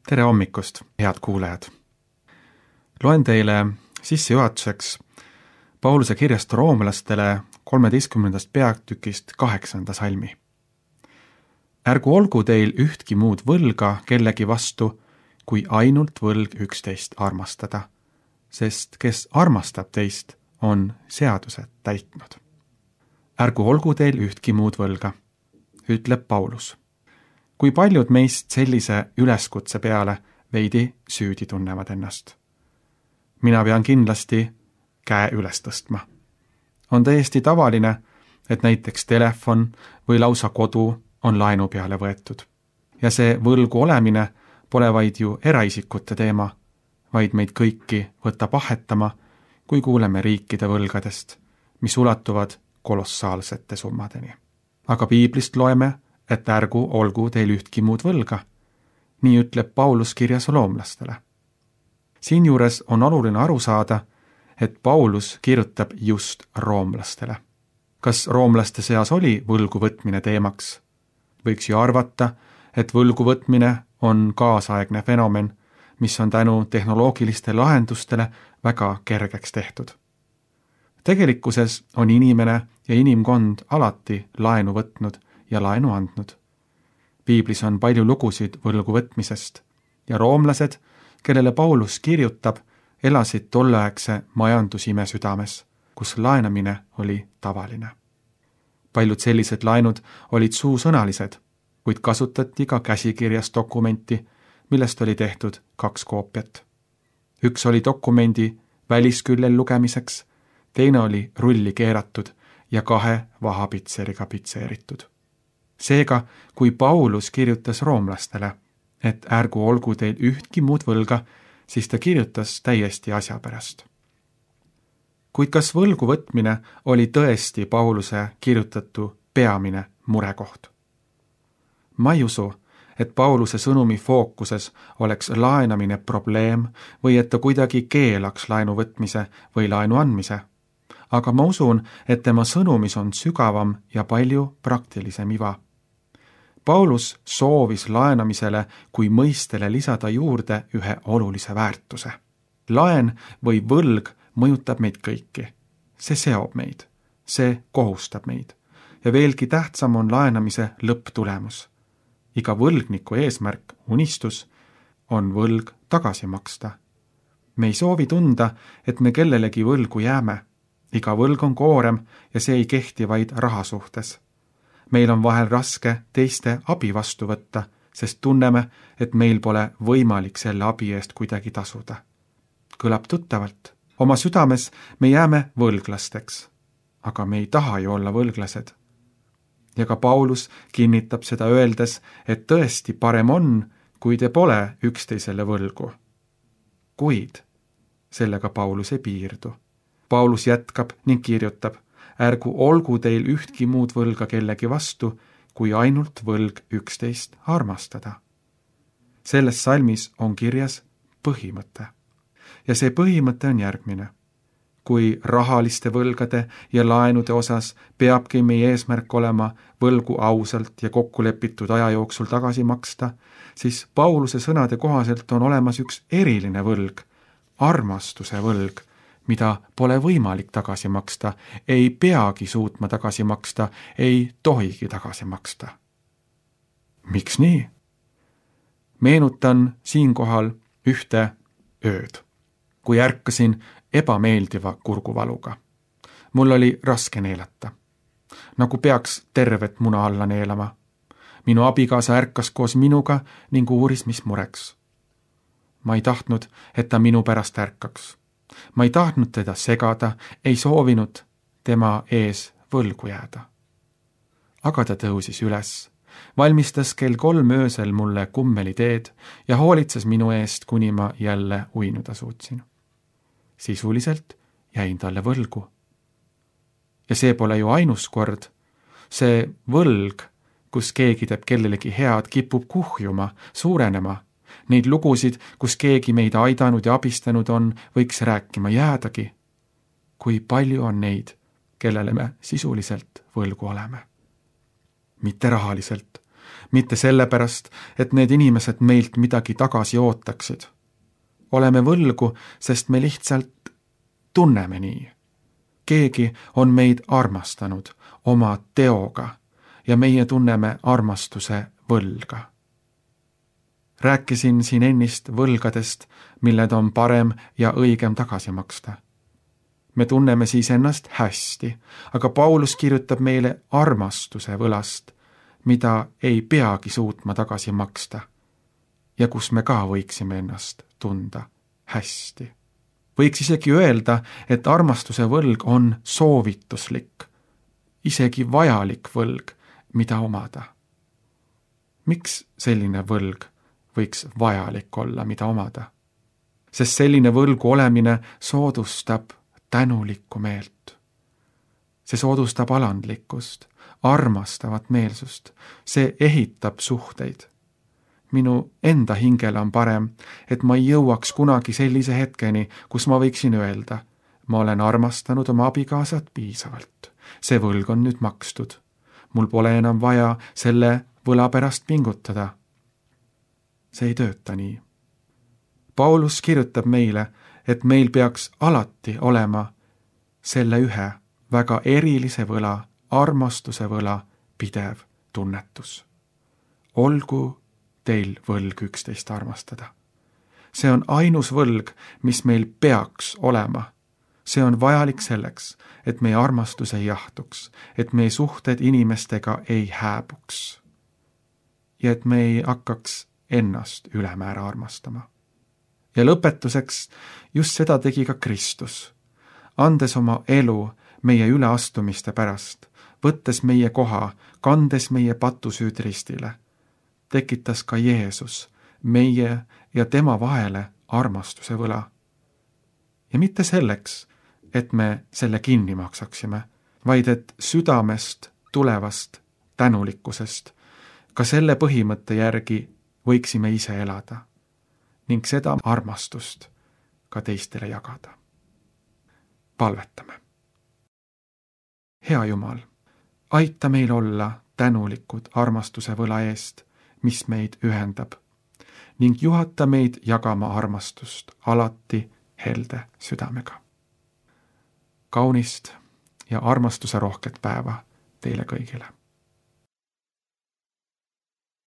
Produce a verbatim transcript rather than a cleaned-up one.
Tere hommikust, head kuulajad! Loen teile sissejuhatuseks Pauluse kirjast roomlastele kolmeteistkümnendast peatükist kaheksanda salmi. Ärgu olgu teil ühtki muud võlga kellegi vastu, kui ainult võlg üksteist armastada, sest kes armastab teist, on seadused täitnud. Ärgu olgu teil ühtki muud võlga, ütleb Paulus. Kui paljud meist sellise üleskutse peale veidi süüdi tunnevad ennast? Mina pean kindlasti käe üles tõstma. On täiesti tavaline, et näiteks telefon või lausa kodu on laenu peale võetud. Ja see võlgu olemine pole vaid ju eraisikute teema, vaid meid kõiki võtab ahetama, kui kuuleme riikide võlgadest, mis ulatuvad kolossaalsete summadeni. Aga piiblist loeme, et ärgu olgu teil ühtki muud võlga. Nii ütleb Paulus kirjas roomlastele. Siinjuures on oluline aru saada, et Paulus kirjutab just roomlastele. Kas roomlaste seas oli võlgu võtmine teemaks? Võiks ju arvata, et võlgu võtmine on kaasaegne fenomen, mis on tänu tehnoloogiliste lahendustele väga kergeks tehtud. Tegelikkuses on inimene ja inimkond alati laenu võtnud ja laenu andnud. Piiblis on palju lugusid võlgu võtmisest ja roomlased, kellele Paulus kirjutab, elasid tolleaegse majandusime südames, kus laenamine oli tavaline. Paljud sellised laenud olid suusõnalised, kuid kasutati ka käsikirjas dokumenti, millest oli tehtud kaks koopiat. Üks oli dokumendi välisküljel lugemiseks, teine oli rulli keeratud ja kahe vahapitseriga pitseeritud. Seega, kui Paulus kirjutas roomlastele, et ärgu olgu teil ühtki muud võlga, siis ta kirjutas täiesti asja pärast. Kuid kas võlgu võtmine oli tõesti Pauluse kirjutatu peamine murekoht? Ma ei usu, et Pauluse sõnumi fookuses oleks laenamine probleem või et ta kuidagi keelaks laenu võtmise või laenu andmise. Aga ma usun, et tema sõnumis on sügavam ja palju praktilisem iva. Paulus soovis laenamisele kui mõistele lisada juurde ühe olulise väärtuse. Laen või võlg mõjutab meid kõiki. See seob meid, see kohustab meid ja veelgi tähtsam on laenamise lõpptulemus. Iga võlgniku eesmärk, unistus, on võlg tagasi maksta. Me ei soovi tunda, et me kellelegi võlgu jääme. Iga võlg on koorem ja see ei kehti vaid raha suhtes. Meil on vahel raske teiste abi vastu võtta, sest tunneme, et meil pole võimalik selle abi eest kuidagi tasuda. Kõlab tuttavalt. Oma südames me jääme võlglasteks, aga me ei taha ju olla võlglased. Ja ka Paulus kinnitab seda öeldes, et tõesti parem on, kui te pole üksteisele võlgu. Kuid sellega Paulus ei piirdu. Paulus jätkab ning kirjutab, ärgu olgu teil ühtki muud võlga kellegi vastu, kui ainult võlg üksteist armastada. Selles salmis on kirjas põhimõte. Ja see põhimõte on järgmine. Kui rahaliste võlgade ja laenude osas peabki meie eesmärk olema võlgu ausalt ja kokkulepitud aja jooksul tagasi maksta, siis Pauluse sõnade kohaselt on olemas üks eriline võlg, armastuse võlg, mida pole võimalik tagasi maksta, ei peagi suutma tagasi maksta, ei tohigi tagasi maksta. Miks nii? Meenutan siinkohal ühte ööd, kui ärkasin ebameeldiva kurguvaluga. Mul oli raske neelata, nagu peaks tervet muna alla neelama. Minu abikaasa ärkas koos minuga ning uuris, mis mureks. Ma ei tahtnud, et ta minu pärast ärkaks. Ma ei tahtnud teda segada, ei soovinud tema ees võlgu jääda. Aga ta tõusis üles, valmistas kell kolm öösel mulle kummeliteed ja hoolitses minu eest, kuni ma jälle uinuda suutsin. Sisuliselt jäin talle võlgu. Ja see pole ju ainus kord. See võlg, kus keegi teeb kellelegi head, kipub kuhjuma, suurenema. Neid lugusid, kus keegi meid aidanud ja abistanud on, võiks rääkima jäädagi. Kui palju on neid, kellele me sisuliselt võlgu oleme. Mitte rahaliselt, mitte sellepärast, et need inimesed meilt midagi tagasi ootaksid. oleme võlgu, sest me lihtsalt tunneme nii. keegi on meid armastanud oma teoga ja meie tunneme armastuse võlga. Rääkisin siin ennist võlgadest, milled on parem ja õigem tagasi maksta. Me tunneme siis ennast hästi, aga Paulus kirjutab meile armastuse võlast, mida ei peagi suutma tagasi maksta ja kus me ka võiksime ennast tunda hästi. Võiks isegi öelda, et armastuse võlg on soovituslik, isegi vajalik võlg, mida omada. Miks selline võlg võiks vajalik olla, mida omada? Sest selline võlgu olemine soodustab tänulikku meelt. See soodustab alandlikkust, armastavat meelsust, see ehitab suhteid. Minu enda hingele on parem, et ma ei jõuaks kunagi sellise hetkeni, kus ma võiksin öelda, ma olen armastanud oma abikaasat piisavalt. See võlg on nüüd makstud. Mul pole enam vaja selle võla pärast pingutada. See ei tööta nii. Paulus kirjutab meile, et meil peaks alati olema selle ühe väga erilise võla, armastuse võla pidev tunnetus. Olgu teil võlg üksteist armastada. See on ainus võlg, mis meil peaks olema. See on vajalik selleks, et meie armastus ei jahtuks, et meie suhted inimestega ei hääbuks ja et me ei hakkaks ennast ülemäära armastama. Ja lõpetuseks just seda tegi ka Kristus, andes oma elu meie üleastumiste pärast, võttes meie koha, kandes meie patusüüd ristile, tekitas ka Jeesus meie ja tema vahele armastuse võla. Ja mitte selleks, et me selle kinni maksaksime, vaid et südamest tulevast tänulikkusest ka selle põhimõtte järgi võiksime ise elada ning seda armastust ka teistele jagada. Palvetame. Hea Jumal, aita meil olla tänulikud armastuse võla eest, mis meid ühendab, ning juhata meid jagama armastust alati helde südamega. Kaunist ja armastuse rohket päeva teile kõigile.